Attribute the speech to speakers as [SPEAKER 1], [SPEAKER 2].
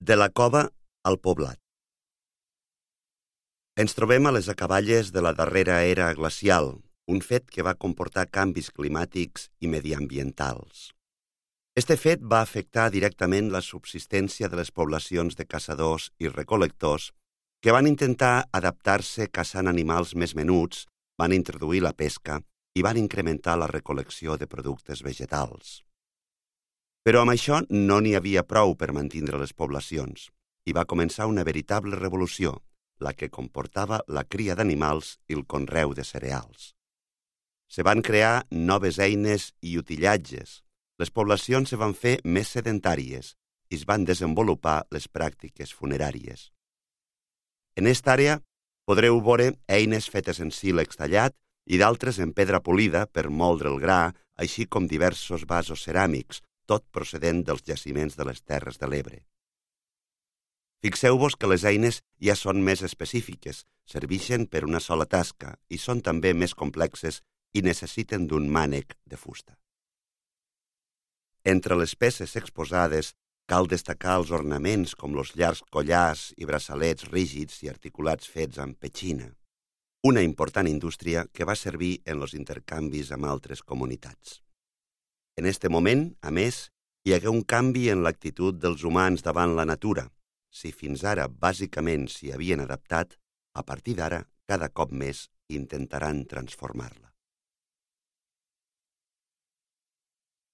[SPEAKER 1] De la cova al poblat. Ens trobem a les acaballes de la darrera era glacial, un fet que va comportar canvis climàtics i mediambientals. Este fet va afectar directament la subsistència de les poblacions de caçadors i recol·lectors que van intentar adaptar-se caçant animals més menuts, van introduir la pesca i van incrementar la recol·lecció de productes vegetals. Però amb això no n'hi havia prou per mantindre les poblacions i va començar una veritable revolució, la que comportava la cria d'animals i el conreu de cereals. Se van crear noves eines i utillatges, les poblacions se van fer més sedentàries i es van desenvolupar les pràctiques funeràries. En esta àrea podreu veure eines fetes en sílex tallat i d'altres en pedra polida per moldre el gra, així com diversos vasos ceràmics, tot procedent dels jaciments de les Terres de l'Ebre. Fixeu-vos que les eines ja són més específiques, serveixen per una sola tasca i són també més complexes i necessiten d'un mànec de fusta. Entre les peces exposades cal destacar els ornaments com els llargs collars i braçalets rígids i articulats fets amb petxina, una important indústria que va servir en els intercanvis amb altres comunitats. En este moment, a més, hi hagué un canvi en l'actitud dels humans davant la natura. Si fins ara bàsicament s'hi havien adaptat, a partir d'ara, cada cop més intentaran transformar-la.